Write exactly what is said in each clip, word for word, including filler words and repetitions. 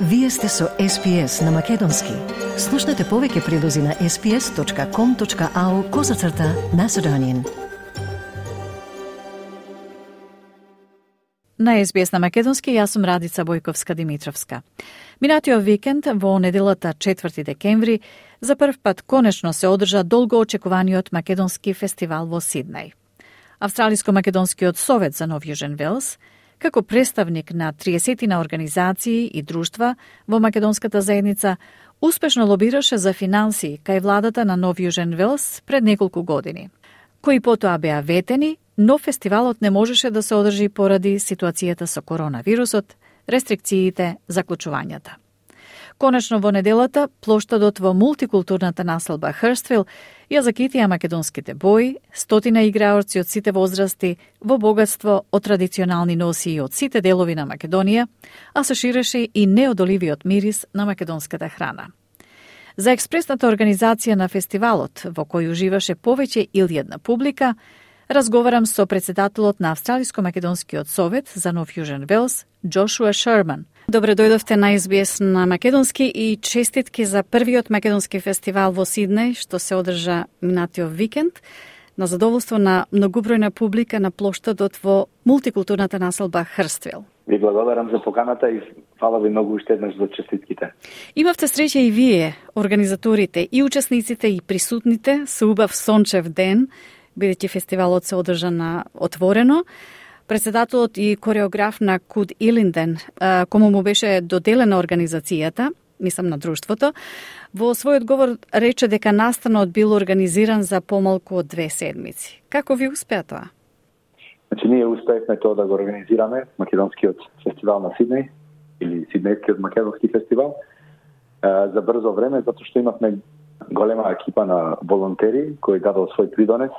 Вие сте со Ес Пи Ес на Македонски. Слушнете повеќе прилози на ес пи ес точка ком точка ау козацрта Macedonian. На Ес Би Ес на Македонски, јас сум Радица Бојковска-Димитровска. Минатиот викенд, во неделата четврти декември, за прв пат конечно се одржа долго очекуваниот македонски фестивал во Сиднеј. Австралиско-македонскиот совет за Нов Јужен Велс, како представник на триесет организации и друштва во македонската заедница, успешно лобираше за финансии кај владата на Нов Јужен Велс пред неколку години, кои потоа беа ветени, но фестивалот не можеше да се одржи поради ситуацијата со коронавирусот, рестрикциите, заклучувањата. Конечно во неделата, плоштадот во мултикултурната населба Хрствил ја закитија македонските бои, стотина играорци од сите возрасти, во богатство од традиционални носии од сите делови на Македонија, а се ширеше и неодоливиот мирис на македонската храна. За експресната организација на фестивалот, во кој уживаше повеќе или една публика, разговарам со председателот на Австралиско-македонскиот совет за Нов Јужен Велс, Джошуа Шерман. Добре дојдовте на Ес Би Ес на Македонски и честитки за првиот македонски фестивал во Сиднеј, што се одржа минатиот викенд, на задоволство на многобројна публика на плоштадот во мултикултурната населба Хрствил. Ви благодарам за поканата и фала ви многу уште еднаш за честитките. Имавте среќа и вие, организаторите, и учесниците, и присутните, со убав сончев ден, бидејќи фестивалот се одржа на отворено. Председателот и кореограф на Куд Илинден, кому му беше доделена организацијата, мислам на друштвото, во својот говор рече дека настанот бил организиран за помалку од две седмици. Како ви успеа тоа? Значи, ние успеевме тоа да го организираме, македонскиот фестивал на Сиднеј, или Сиднејскиот македонски фестивал, за брзо време, затоа што имавме голема екипа на волонтери кои дадоа свој придонес,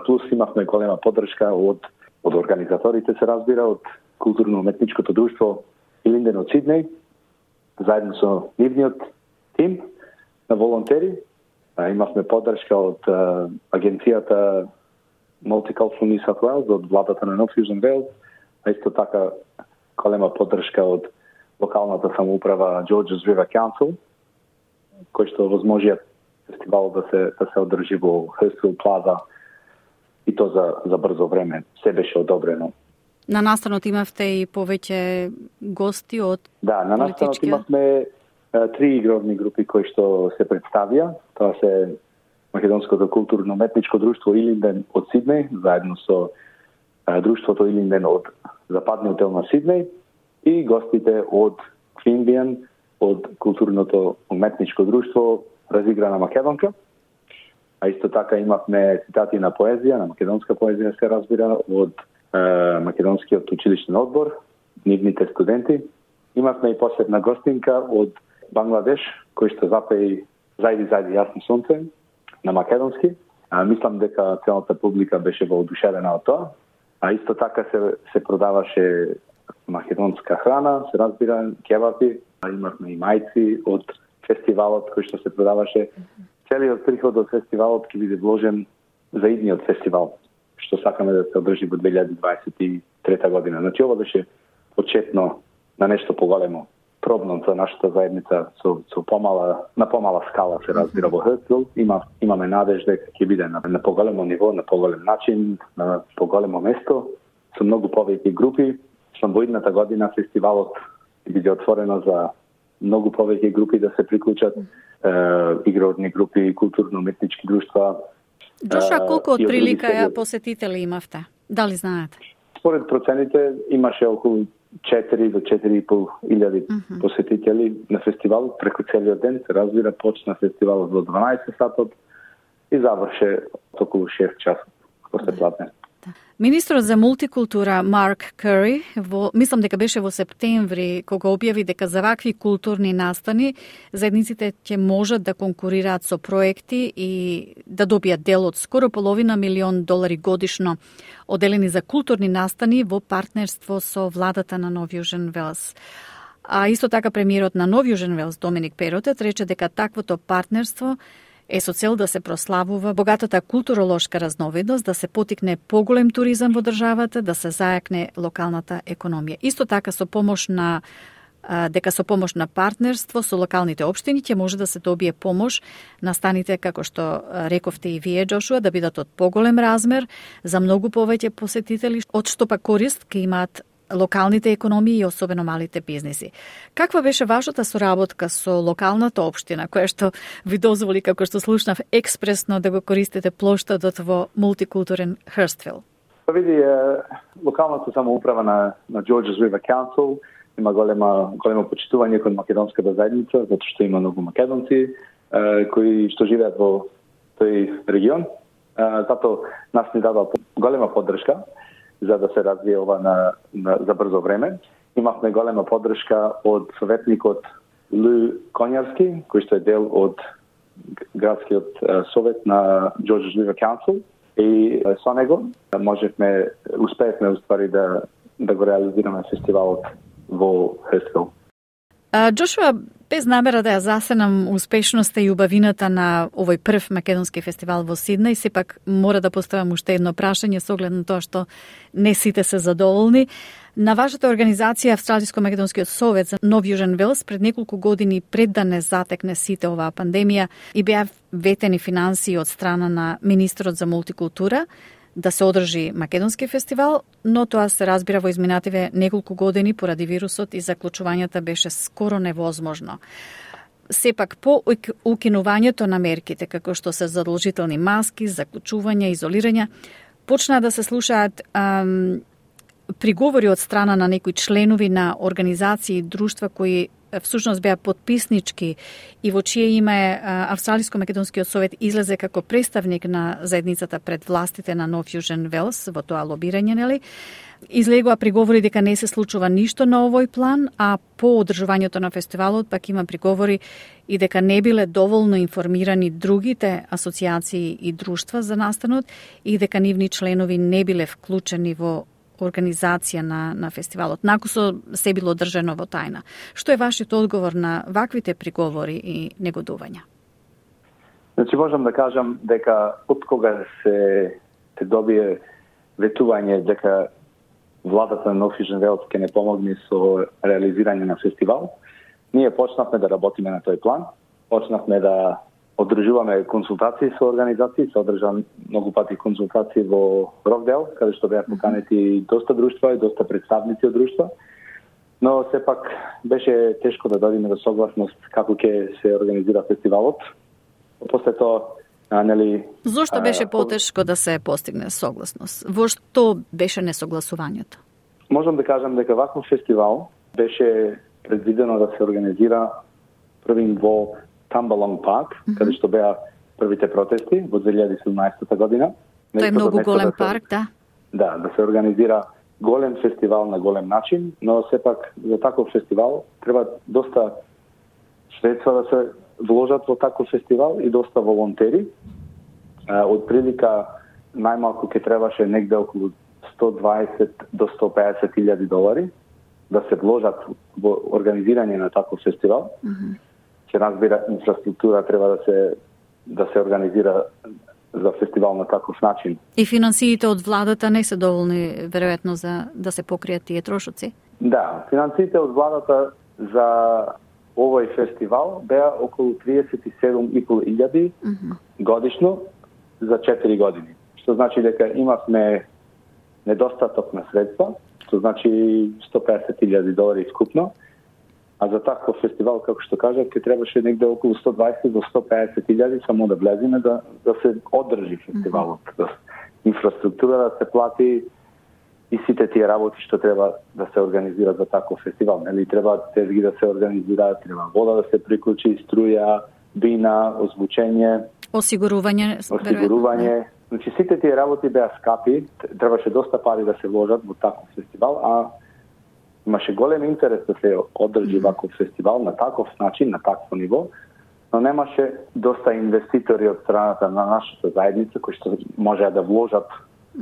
плюс имавме голема поддршка од од организаторите, се разбира, од културно-уметничкото друштво Илинден од Сиднеј, заедно со нивниот тим на волонтери. А, имавме поддршка од а, агенцијата Multicultural New South Wales, од владата на Нов Јужен Велс, а исто така голема поддршка од локалната самоуправа Georges River Council, кој што возможија фестивалот да се да се одржи во Hurstville Plaza, и то за, за брзо време. Се беше одобрено. На настанот имавте и повеќе гости од Да, на настанот имавме а, три игровни групи кои што се представија. Тоа се Македонското културно-уметничко друштво Илинден од Сиднеј, заедно со а, друштвото Илинден од западниот дел на Сиднеј и гостите од Квинбијан, од културното уметничко друштво Разиграна македонка. А исто така имавме цитати на поезија, на македонска поезија се разбира, од е, македонскиот училишен одбор, нивните студенти. Имавме и посебна гостинка од Бангладеш, кој што запеи Зајди, зајди, јасно сонце на македонски. А, мислам дека целата публика беше воодушевена од тоа. А исто така се, се продаваше македонска храна, се разбира, кебапи. А имавме и мајци од фестивалот кој што се продаваше. Целиот приход од фестивалот ќе биде вложен за идниот фестивал, што сакаме да се одржи во две илјади дваесет и трета година. Значи, ова беше почетно на нешто поголемо, пробно за нашата заедница со, со помала, на помала скала се разбира во Хрствил. Има, имаме надеж дека ќе биде на, на поголемо ниво, на поголем начин, на поголемо место, со многу повеќе групи. Што во идната година фестивалот ќе биде отворено за многу повеќе групи да се приклучат, е, игрорни групи, културно-уметнички друштва. Джоша, колку од прилика ја посетители имавте? Дали знаете? Според процените имаше околу четири до четири и пол илјади uh-huh. посетители на фестивалот преку целиот ден. Се разбира, почна фестивалот во дванаесет сатот и заврше околу шест часот после пладне. Министрот за мултикултура Марк Кери, во, мислам дека беше во септември, кога објави дека за вакви културни настани заедниците ќе можат да конкурираат со проекти и да добијат дел од скоро половина милион долари годишно оделени за културни настани во партнерство со владата на Нов Јужен Велс. А исто така премиерот на Нов Јужен Велс Доминик Перотет рече дека таквото партнерство е со цел да се прославува богатата културолошка разновидност, да се потикне поголем туризам во државата, да се зајакне локалната економија. Исто така со помош на дека со помош на партнерство со локалните општини ќе може да се добие помош на станите, како што рековте и вие, Джошуа, да бидат од поголем размер за многу повеќе посетители, од што па корист ќе имаат локалните економии и особено малите бизниси. Каква беше вашата соработка со локалната општина, која што ви дозволи, како што слушнав, експресно да го користите плоштадот во мултикултурен Хърствил? Па види, локалната самоуправа на, на Georges River Council има голема, големо почитување кон македонската заедница, затоа што има многу македонци кои што живеат во тој регион. Затоа нас ни дава голема поддршка за да се развие ова на, на, за брзо време. Имавме голема поддршка од советникот Лу Конјарски, кој што е дел од градскиот совет на Georges River Council. И со него можевме, успеевме уствари да, да го реализираме фестивалот во Хърствил. Джошуа, без намера да ја засенам успешноста и убавината на овој прв македонски фестивал во Сиднеј, сепак мора да поставам уште едно прашање со оглед на тоа што не сите се задоволни. На вашата организација Австралиско-македонскиот совет за Нов Јужен Велс пред неколку години пред да не затекне сите оваа пандемија и беа ветени финансии од страна на министерот за мултикултура да се одржи македонски фестивал, но тоа се разбира во изминативе неколку години поради вирусот и заклучувањата беше скоро невозможно. Сепак, по укинувањето на мерките, како што се задолжителни маски, заклучување, изолирање, почнаа да се слушаат ам, приговори од страна на некои членови на организации и друштва кои всушност беа подписнички и во чие име Австралиско-македонскиот совет излезе како представник на заедницата пред властите на Нов Јужен Велс во тоа лобирање, нели? Излегоа приговори дека не се случува ништо на овој план, а по одржувањето на фестивалот пак има приговори и дека не биле доволно информирани другите асоциации и друштва за настанот и дека нивни членови не биле вклучени во организација на, на фестивалот, накусо се било држано во тајна. Што е вашиот одговор на ваквите приговори и негодувања? Значи, можам да кажам дека од кога се, се добие ветување дека владата на Нов Јужен Велс ќе не помогне со реализирање на фестивал, ние почнавме да работиме на тој план, почнавме да одржуваме консултации со организации, се одржа многу пати консултации во Рокдел, каде што беа поканети доста друштва и доста представници од друштва, но сепак беше тешко да дојдеме до согласност како ќе се организира фестивалот. После тоа, нели... Зошто беше потешко да се постигне согласност? Во што беше несогласувањето? Можам да кажам дека ваков фестивал беше предвидено да се организира првин во Тамбалонг парк, mm-hmm. каде што беа првите протести во две илјади и седумнаесета година. Тој е многу голем да се, парк, да? Да, да се организира голем фестивал на голем начин, но сепак за таков фестивал треба доста средства да се вложат во таков фестивал и доста волонтери. Од прилика најмалку ќе требаше негде околу сто дваесет до сто пеесет илјади долари да се вложат во организирање на таков фестивал. Mm-hmm. Се разбира, инфраструктура треба да се да се организира за фестивал на таков начин. И финансиите од владата не се доволни веројатно за да се покријат тие трошоци? Да, финансиите од владата за овој фестивал беа околу триесет и седум и пол илјади mm-hmm. годишно за четири години. Што значи дека имавме недостаток на средства, што значи сто пеесет илјади долари скупно. А за таков фестивал, како што кажав, ќе требаше негде околу сто дваесет до сто пеесет илјади само да влеземе да, да се одржи фестивалот. Mm-hmm. Да, инфраструктура да се плати и сите тие работи што треба да се организира за таков фестивал. Нели треба тезги да се организира, треба вода да се приклучи, струја, бина, озвучење, осигурување, осигурување. Значи сите тие работи беа скапи, требаше доста пари да се вложат во таков фестивал, а имаше голем интерес да се одржи ваков фестивал на таков начин, на такво ниво, но немаше доста инвеститори од страната на нашата заедница кои што можеа да вложат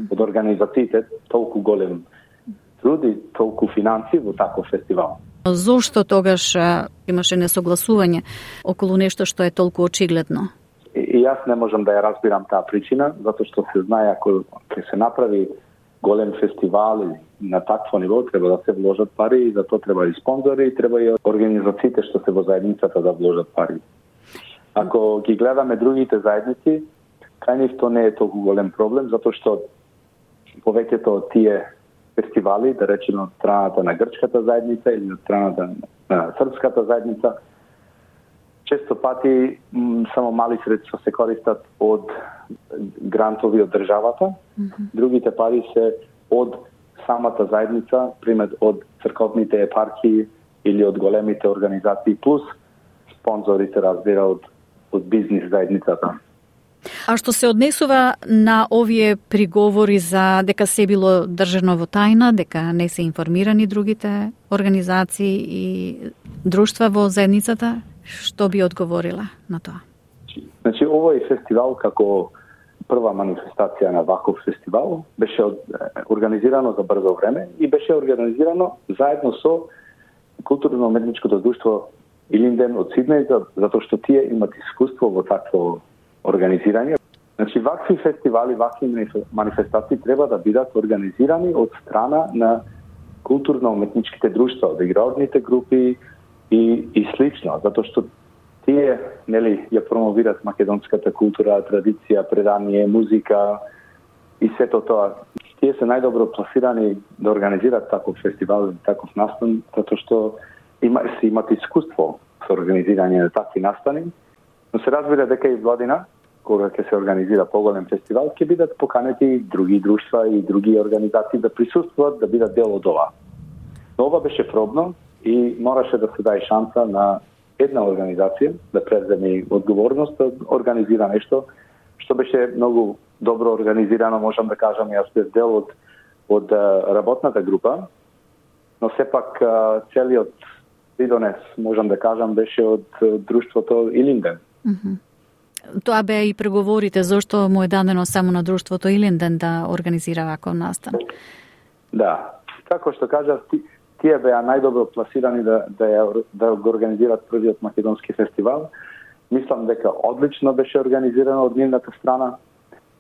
од организациите толку голем труд и толку финанси во таков фестивал. Зошто тогаш имаше несогласување околу нешто што е толку очигледно? И, и јас не можам да ја разбирам таа причина, затоа што се знае ако ќе се направи голем фестивал или на такво ниво треба да се вложат пари и за тоа треба и спонзори, и треба и организациите што се во заедницата да вложат пари. Ако ги гледаме другите заедници, кај нив тоа не е толку голем проблем, затоа што повеќето од тие фестивали, да речеме од страната на грчката заедница или од страната на српската заедница, често пати м, само мали средства се користат од грантови од државата. Mm-hmm. Другите пари се од самата заедница, пример од црковните епархии или од големите организации, плюс спонзорите, разбира, од, од бизнис заедницата. А што се однесува на овие приговори за дека се било држано во тајна, дека не се информирани другите организации и друштва во заедницата, што би одговорила на тоа? Значи, овој фестивал како прва манифестација на ваков фестивал беше организирано за брзо време и беше организирано заедно со културно-уметничкото друштво Илинден од Сиднеј, затоа што тие имат искуство во такво организирање. Значи, вакви фестивали, вакви манифестации треба да бидат организирани од страна на културно-уметничките друштва, од игралните групи и, и слично, затоа што тие, нели, ја промовират македонската култура, традиција, предание, музика и сето тоа. Тие се најдобро пласирани да организират таков фестивал, таков настан, затоа што има, се имат искуство со организирање на такви настани. Но се разбира дека и владина, кога ќе се организира поголем фестивал, ќе бидат поканети други друштва и други организации да присуствуват, да бидат дел од ова. Но ова беше пробно и мораше да се даде шанса на една организација да преземе одговорност да организира нешто што беше многу добро организирано, можам да кажам, јас бев дел од, од работната група, но сепак целиот придонес, можам да кажам, беше од друштвото Илинден. Mm-hmm. Тоа беа и преговорите, зошто му е дадено само на друштвото Илинден да организира ваков настан? Да, како што кажав, тие беа најдобро пласирани да, да, ја, да го организират првиот македонски фестивал. Мислам дека одлично беше организирано од нивната страна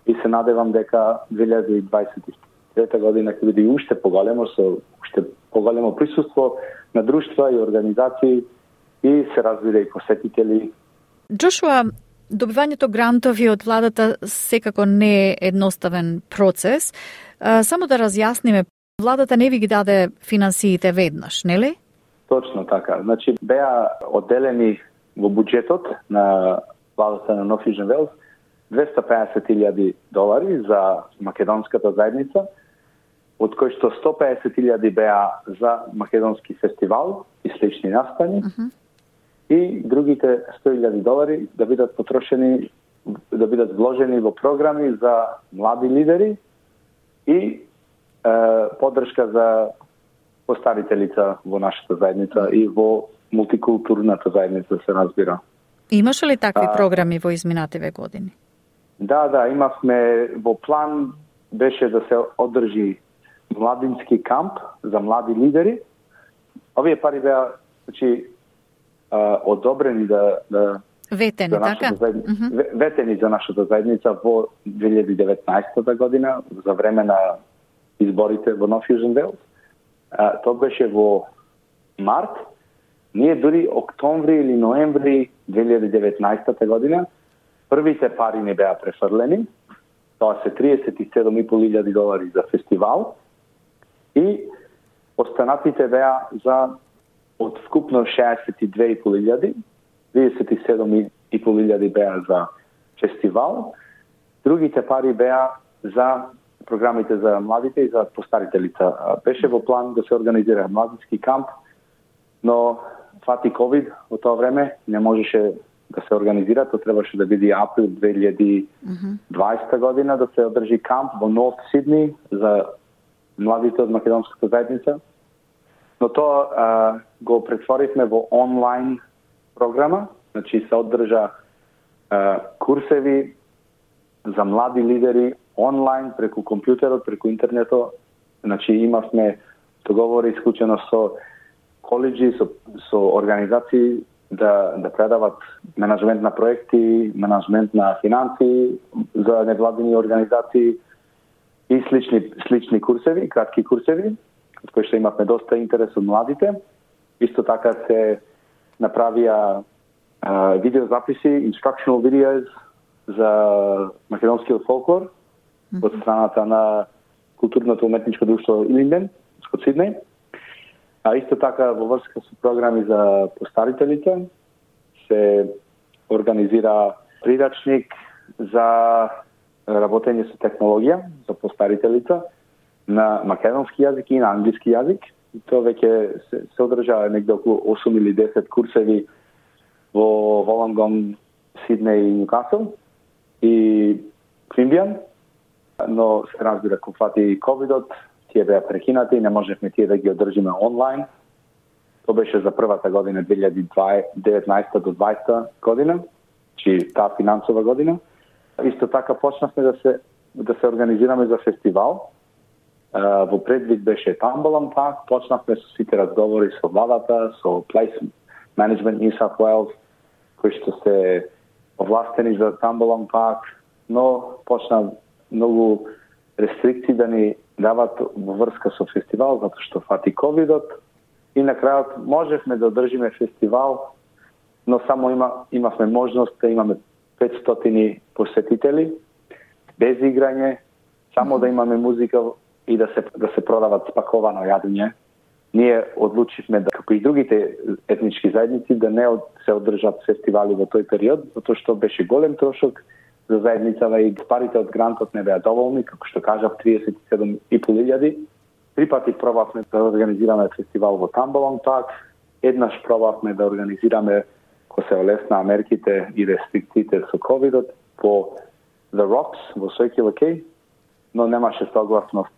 и се надевам дека две илјади дваесет и трета година ќе биде уште поголемо, со уште поголемо присуство на друштва и организации и се разбира и посетители. Джошуа, добивањето грантови од владата секако не е едноставен процес. Само да разјасниме, владата не ви ги даде финансиите веднаш, нели? Точно така. Значи, беа одделени во буџетот на владата на Нов Јужен Велс двеста пеесет илјади долари за македонската заедница, од кои што сто пеесет илјади беа за македонски фестивал и слични настани, uh-huh. и другите сто илјади долари да бидат потрошени, да бидат вложени во програми за млади лидери и е, поддршка за постарите лица во нашата заедница и во мултикултурната заедница, се разбира. Имаше ли такви а, програми во изминативе години? Да, да, имавме во план беше да се одржи младински камп за млади лидери. Овие пари беа, значи, одобрени да, да ветени, за така? Заедница, uh-huh. ветени за нашата заедница во две илјади и деветнаесета година, за време на изборите во Нов Јужен Велс. Тоа беше во март. Ние дури октомври или ноември две илјади и деветнаесета година првите пари не беа префрлени. Тоа се триесет и седум и пол илјади долари за фестивал и останатите беа за од вкупно шеесет и две и пол илјади, триесет и седум и пол илјади беа за фестивал. Другите пари беа за програмите за младите и за постарите лица. Беше во план да се организира младински камп, но фати ковид во тоа време, не можеше да се организира, тоа требаше да биде април две илјади и дваесета година да се одржи камп во Нов Сидни за младите од македонската заедница. Но тоа а, го претворивме во онлайн програма, значи се одржа а, курсеви за млади лидери онлайн преку компјутерот, преку интернетот. Значи имавме договори исклучено со коледжи, со, со организации да, да предават менаджмент на проекти, менаджмент на финанси за невладини организации и слични слични курсеви, кратки курсеви, од кои што имавме доста интерес од младите. Исто така се направија uh, видеозаписи, instructional videos за македонскиот фолклор mm-hmm. од страната на културното уметничко друштво Илинден од Сиднеј. А исто така во врска со програми за постарителите се организира прирачник за работење со технологија за постарителите на македонски јазик и на англиски јазик. И тоа веќе се, се одржа негде околу осум или десет курсеви во Волонгон, Сиднеј и Ньюкасл и Квинбијан. Но се разбира, кога фати ковидот, тие беа прекинати и не можевме тие да ги одржиме онлайн. Тоа беше за првата година две илјади и деветнаесета до дваесета година, чи таа финансова година. Исто така почнавме да се да се организираме за фестивал. Uh, во предвид беше Тамбалан Парк, почнавме со сите разговори со владата, со Place Management New South Wales, кои што се овластени за Тамбалан Парк, но почна многу рестрикции да ни дават во врска со фестивал, затоа што фати ковидот. И на крајот можевме да одржиме фестивал, но само има, имавме можност да имаме петстотини посетители, без играње, само да имаме музика и да се да се продават спаковано јадење. Ние одлучивме да, како и другите етнички заедници, да не од, се одржат фестивали во тој период, затоа што беше голем трошок за заедницава и парите од грантот не беа доволни, како што кажав, триесет и седум и пол илјади. Три пати пробавме да организираме фестивал во Тамбалан Парк, еднаш пробавме да организираме кога се олесна мерките и рестрикциите со ковидот по The Rocks во Circular Quay, но немаше согласност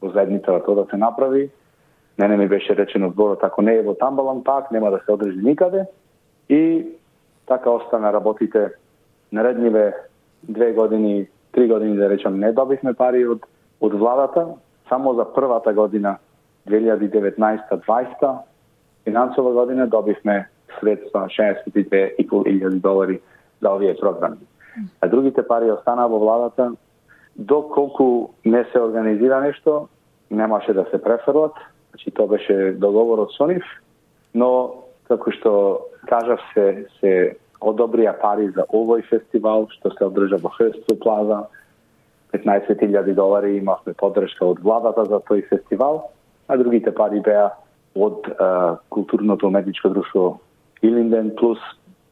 во заедницата тоа да се направи. Мене ми беше речено зборот, ако не е во Тамбалан Парк, нема да се одржи никаде. И така остана работите наредниве две години, три години, да речам, не добивме пари од, од владата. Само за првата година, две илјади и деветнаесета дваесета, финансова година, добивме средства шеесет и две и пол илјади долари за овие програми. А другите пари остана во владата. Доколку не се организира нешто, немаше да се префрлат. Значи, тоа беше договорот со нив, но, како што кажав, се, се одобрија пари за овој фестивал, што се одржа во Хрстов Плаза. петнаесет илјади долари имавме поддршка од владата за тој фестивал, а другите пари беа од а, културното уметничко друштво Илинден, плюс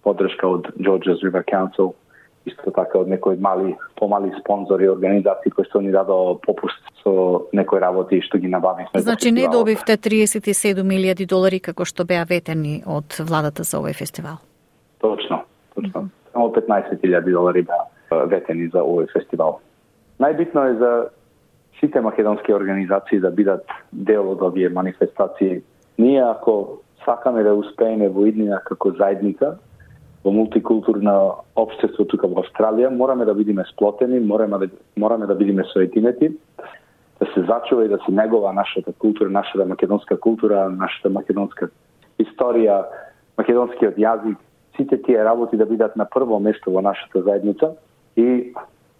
поддршка од Georges River Council, исто така од некои мали, помали спонзори, организации кои што ни дадо попуст со некои работи што ги набавивме. Значи не добивте триесет и седум илјади долари како што беа ветени од владата за овој фестивал? Точно, точно. Mm-hmm. Само петнаесет илјади долари беа ветени за овој фестивал. Најбитно е за сите македонски организации да бидат дел од овие манифестации. Ние ако сакаме да успееме во иднина како заедница, во мултикултурно општество тука во Австралија, мораме да бидеме сплотени, мораме да, мораме да бидеме соединети, да се зачува и да се негова нашата култура, нашата македонска култура, нашата македонска историја, македонскиот јазик, сите тие работи да бидат на прво место во нашата заедница и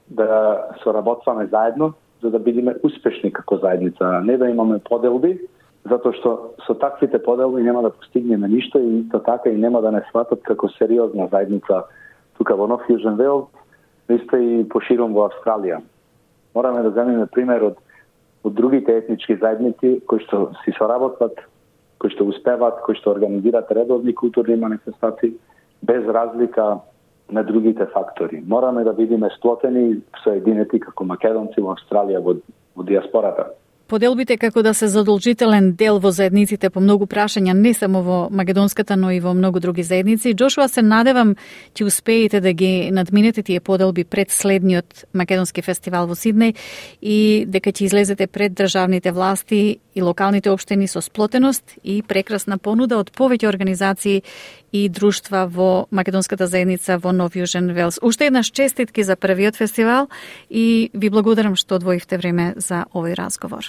да соработваме заедно за да бидеме успешни како заедница, не да имаме поделби, затоа што со таквите поделби нема да постигнеме ништо и исто така и нема да не сватат како сериозна заедница тука во Нов Јужен Велс, исто и поширом во Австралија. Мораме да земеме пример од, од другите етнички заедници кои што си соработват, кои што успеват, кои што организираат редовни културни манифестации без разлика на другите фактори. Мораме да бидеме сплотени и соединети како македонци во Австралија, во, во диаспората. Поделбите како да се задолжителен дел во заедниците по многу прашања, не само во македонската, но и во многу други заедници. Джошуа, се надевам ќе успеете да ги надминете тие поделби пред следниот македонски фестивал во Сиднеј и дека ќе излезете пред државните власти и локалните општини со сплотеност и прекрасна понуда од повеќе организации и друштва во македонската заедница во Нов Јужен Велс. Уште еднаш честитки за првиот фестивал и ви благодарам што одвоивте време за овој разговор.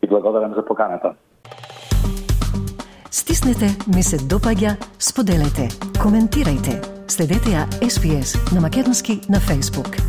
И благодарам за поканата. Стиснете, ми се допаѓа, споделете, коментирајте. Следете ја Ес Би Ес на македонски на Facebook.